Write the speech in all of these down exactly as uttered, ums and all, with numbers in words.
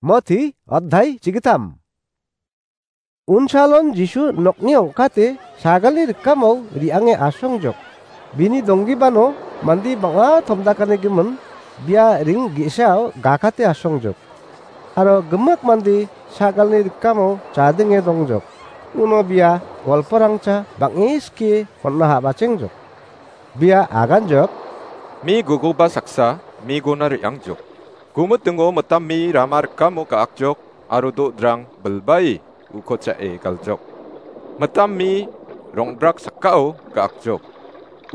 Moti, adhai chigitam. Unsalon Jisu nokni ong·kate sagalni rikamo re·ange asongjok. Bini donggibano mande bang·a tomdakanigimin bia ring ge·sao gakate asongjok. Aro gimik mande sagalni rikamo chadenge dongjok. Uno bia golporangcha bang·e skie hon·na ha·bachengjok. Bia aganjok. Mi gugoba saksa, mi gona re·angjok. Gumitingo mitam mi rama rikamo ga·akjok, aro do·drang bilbae uko cha·e galjok. Mitam mi rong·brak sakao ga·akjok.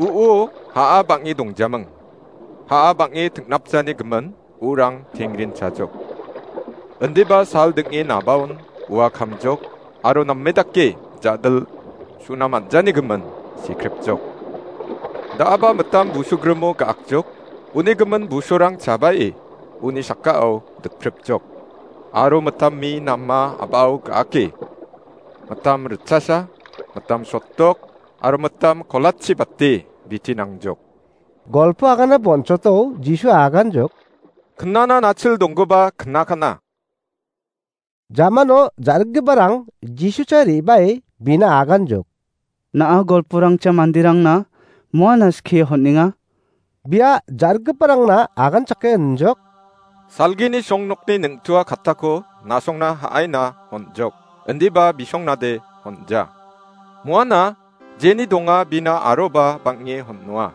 U·o ha·a bang·e dongjaming. Ha·a bang·e tingnapjani gimin urang tengrin chajok. Indiba sal ding·e nabaon ua kamjok, aro name dake ja·dil suna man·jani gimin sikripjok. Da·aba mitam busugrimo ga·akjok, uni gimin busorang chabae uni sakao dikpripjok. Aro mitam mi nama a·bao ga·ake. Mitam ritchasa, mitam sotdok, aro mitam kolatchi bate biti nangjok. Golpo agana bonchoto Jisu aganjok. Knana nachil donggipa knakana. Jamano ja·rikgiparang Jisucha re·bae bina aganjok. Na·a golporangcha manderangna moana skie hon·enga. Bia ja·rikgiparangna aganchake injok. Salgini songnokni neng·tua kattako na·songna ha·aina hon·jok. Indiba bisongnade hon·ja. Moana jeni donga bina aroba bang·e hon·noa.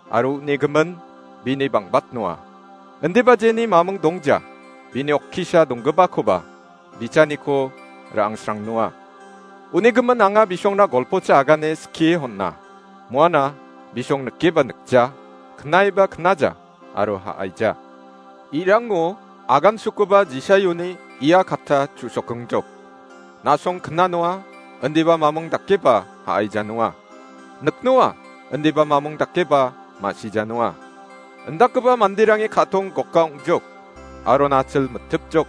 Aro uni gimin bini bang·batnoa. Indiba jeni maming dongja, bini okkisa donggipakoba bichaniko ra·angsrangnoa. Uni gimin anga bisongna golpocha agane skie hon·a. Moana bisong nikeba nikja, knaiba knaja, aro ha·aija. Irango agansukoba Jisaioni ia katta chu·sokengjok. Na·song knanoa, indiba mamung dakeba ha·aijanoa. Niknoa, indiba mamung dakeba ma·sijanoa. Indakgipa manderangni ka·tong goka ong·jok, aro nachil mitipjok,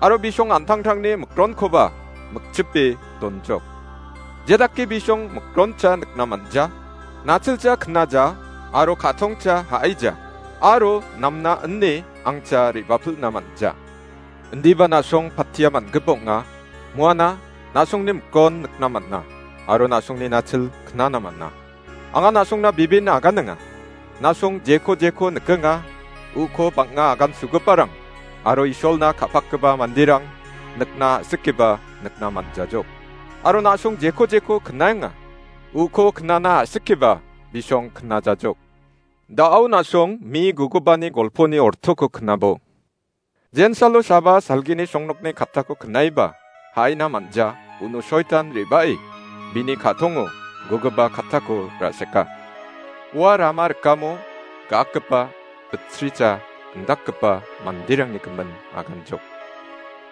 aro bisong an·tangtangni mikronkoba mikchipe donjok. Jedake bisong mikroncha nikna man·ja, nachilcha knaja, aro ka·tongcha ha·aija, aro namna ine angcha re·bapilna man·ja. Indiba na·song patia man·gipa ong·a, moana na·songni mikon nikna man·a, aro na·songni nachil knana man·a. Anga na·songna bibin aganenga. Na·song jeko jeko nikenga, uko bang·a agansugiparang aro Isolna ka·pakgipa manderang nikna a·sikiba nikna man·jajok. Aro na·song jeko jeko knaenga, uko knana a·sikiba bisong knajajok. Da·o na·song mi gugubani golponi ortoko knabo. Jensalo saba salgini songnokni kattako knaiba, ha·aina man·ja, uno soitan re·bae, bini ka·tongo gogipa kattako ra·seka. Ua rama rikamo ga·akgipa, bitricha, indakgipa manderangni gimin aganjok.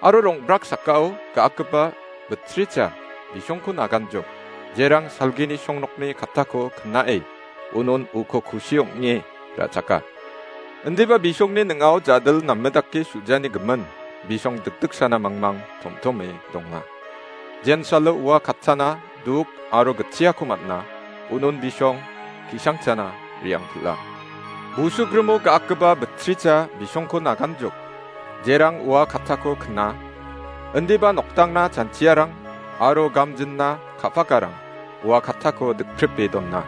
Aro rong·brak sakao ga·akgipa bitricha bisongkon aganjok, jerang salgini songnokni kattako knae, unon uko kusi ong·e ra·chaka. Indiba bisongni ning·ao jadil name dake su·jani gimin, bisong dikdiksana mangmang tomtome donga. Jensalo ua kattana duk aro gitchiako man·a, unon bisong ki·sangchana re·angpil·a. Busugrimo ga·akgipa bitricha bisongko naganjok, jerang ua kattako kna, indiba noktangna chanchiarang aro gamjinna ka·pakarang ua kattako dikpripe dona.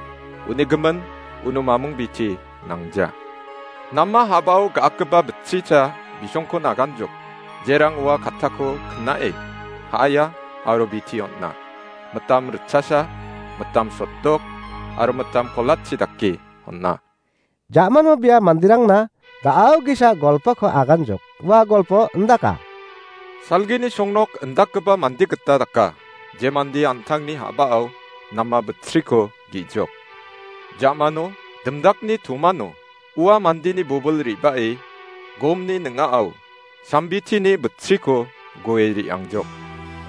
Uni gimin, uno mamung biti nangja. Nama habao ga·akgipa bitricha bisongko naganjok, jerang ua kattako knae, ha·aia aro biti on·a. Mitam ritchasa, mitam sotdok, aro mitam kolatchi dake on·a. Ja·mano bia manderangna ga·ao ge·sa golpoko aganjok. Ua golpo indaka. Salgini songnok indakgipa mande gita daka, je mande an·tangni ha·bao nama bitriko ge·jok. Ja·mano, dimdakni tomano, ua mandeni bobil re·bae, gomni ning·ao, sambitini bitriko goe re·angjok.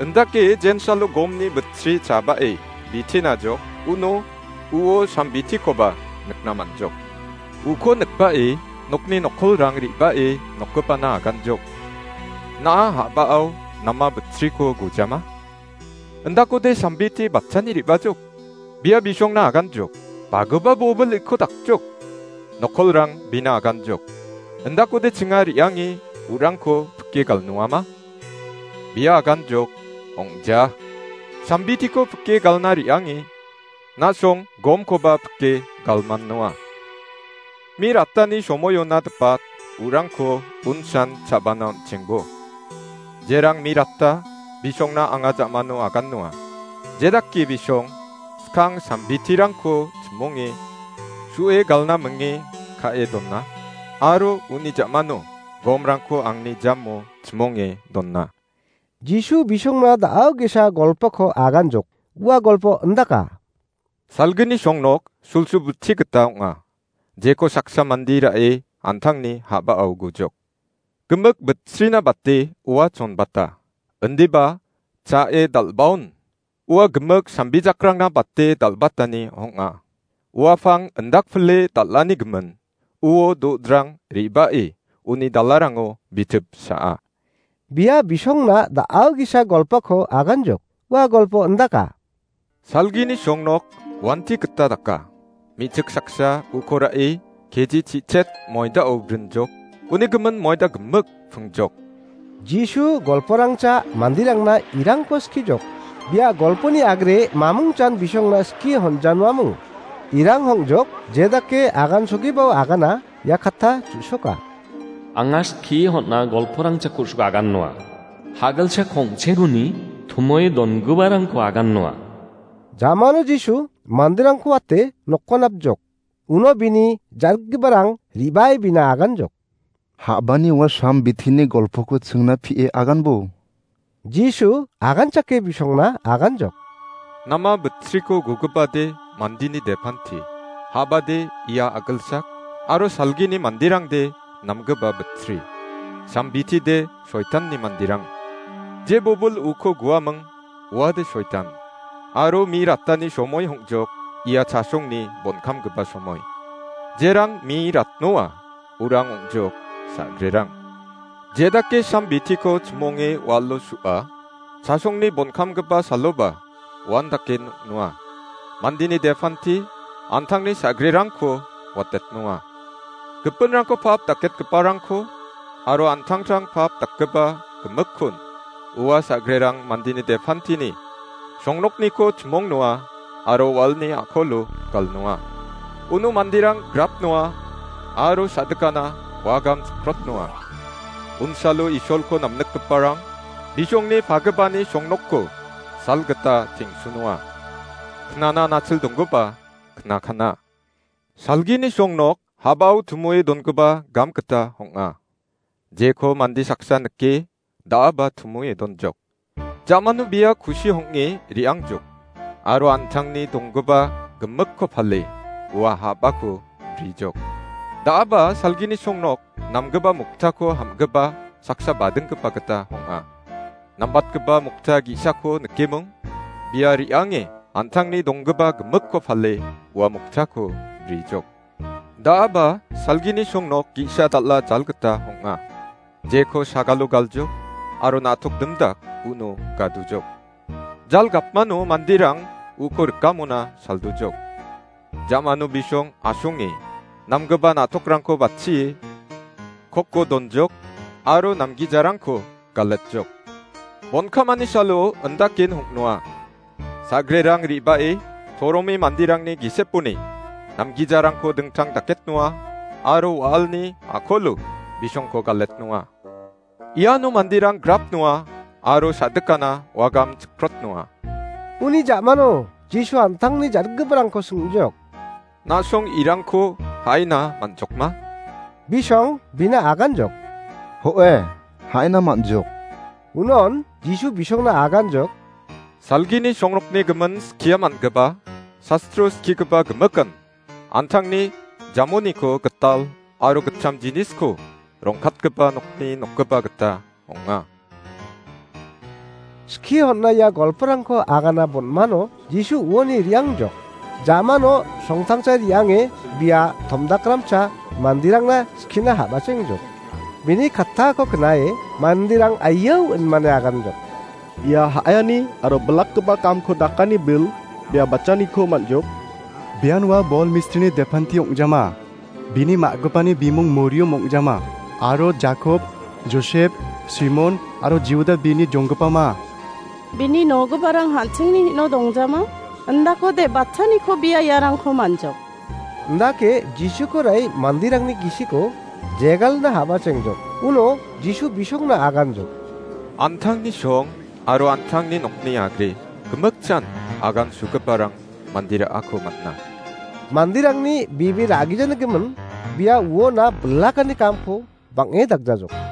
Indake jensalo gomni bitri chabae bitinajok, uno uo sambitikoba nikna man·jok. Uko nikbae nokni nokkolrang re·bae nokgipana aganjok. Na·a ha·bao nama bitriko gojama? Indakode sambiti batani re·bajok. Bia bisongna aganjok. Bagipa bobil iko dakjok. Nokkolrang bina aganjok. Indakode chinga re·ange urangko pike galnoama? Bia aganjok, ong·ja. Sambitiko pike galna re·ange, na·song gomkoba pike galmannoa. Mi ratani somoiona dipat urangko unsan chabana on·chengbo. Jerang mi rata, bisongna anga jamano agannoa. Jedake bisong, skang sambitirangko chimonge, su·e galna minge ka·e dona, aro uni jamano gomrangko angni jamo chimonge dona. Jisu bisongna da·ao ge·sa golpoko aganjok. Ua golpo indaka. Salgini songnok sulsulbuti gita ong·a. Jeko saksa mande ra·e antangni ha·bao gujok. Gimik bitsrina bate ua chonbata. Indiba cha·e dal·baon. Ua gimik sambijakrangna bate dal·batani ong·a. Ua pang indakpile dal·ani gimin. Uo do·drang re·bae uni dalarango bitip sa·a. Bia bisongna da·ao ge·sa golpoko aganjok. Ua golpo indaka. Salgini songnok wanti gita daka. Me·chik saksa uko ra·e keji chi·chet moidao brinjok. Uni gimin moida gimik pingjok. Jisu golporangcha manderangna irangko skijok. Bia golponi agre mamungchan bisongna skie honjanuamung. Irang hongjok, jedake agan sogibao agana, ia katta chu·soka. Anga skie hon·a golporangchako su agannoa. Hagalcha kongcheguni tumoe dongiparangko agannoa. Jamano Jisu manderangko wate nokko napjok. Uno bini jargiparang re·bae bina aganjok. Ha·bani ua sambitini golpoko chingna pie aganbo. Jisu aganchake bisongna aganjok. Nama bitsriko gugipade mandini depanti. Ha·bade ia agilsak, aro salgini manderangde namgipa bitsri. Sambitide soitanni manderang. Je bobil uko guaming, uade soitan. Aro mi ratani somoi hongjok, ia chasongni bonkamgipa somoi. Jerang mi ratnoa, urang ong·jok, sa·grerang. Jedake sambitiko chimonge walo su·a, chasongni bonkamgipa saloba uan dake noknoa. Mandini depanti antangni sa·grerangko watetnoa. Gipinrangko pap daketgiparangko aro antangtang pap dakgipa gimikkon ua sa·grerang mandini depantini songnokniko chimongnoa aro walni a·kolo galnoa. Uno manderang grapnoa aro sa·dikana wagam chikrotnoa. Unsalo Isolko namnikgiparang bisongni pagipani songnokko salgita teng·sunoa. Knana nachil donggipa knakana. Salgini songnok habao tumoe dongipa gam gita ong·a. Jeko mande saksa nike, da·aba tumoe donjok. Jamano bia kusi hong·e re·angjok. Aro antangni donggipa gimikko pale, ua habako brijok. Da·aba salgini songnok namgipa moktako ham·gipa saksa badinggipa gita ong·a. Nambatgipa mokta ge·sako nikeming, bia re·ange antangni donggipa gimikko pale, ua moktako brijok. Da·aba salgini songnok ge·sa dal·a jal gita ong·a. Jeko sagalo galjok aro na·tok dimdak uno gadujok. Jal gapmano manderang uko rikamona saldujok. Jamano bisong asonge namgipa na·tokrangko batchie kokko donjok aro namgijarangko galetjok. Bonkamani salo indaken hong·noa. Sa·grerang re·bae toromi manderangni giseponi namgijarangko dingtang daketnoa aro wa·alni a·kolo bisongko galetnoa. Iano manderang grapnoa aro sa·dikana wagam chikrotnoa. Uni jamano Jisu an·tangni jargiparangko sing·jok. Na·song irangko ha·ina man·jokma? Bisong bina aganjok. Ho·e, ha·ina man·jok. Unon Jisu bisongna aganjok. Salgini songrokni gimin skia man·gipa, sastro skigipa gimikan, an·tangni jamoniko gital aro gitcham jinisko rongkatgipa nokni nokgipa gita ong·a. Skie hon·na ia golporangko agana bon·mano Jisu uoni re·angjok. Jamano songtangcha re·ange bia tomdakramcha manderangna skina ha·bachengjok. Bini kattako knae manderang aiao inmane aganjok. Ia ha·ani aro bilakgipa kamko dakani bil bia bachaniko man·jok. Bian ua bol mistrini depanti ong·jama. Bini ma·gipani bimung Moriom ong·jama. Aro Jakob, Josep, Simon aro Juda bini jonggipama. Bini nogiparang an·chingni hino dongjama? Indakode batchaniko bia iarangko manjok. Indake Jisuko ra·e manderangni gisiko jegalna ha·bachengjok. Uno Jisu bisongna aganjok. An·tangni song aro an·tangni nokni agre gimikjan agansugiparang mande ra·ako man·a. Manderangni bebe ra·gijanigimin bia uona bilakani kamko bang·e dagjajok.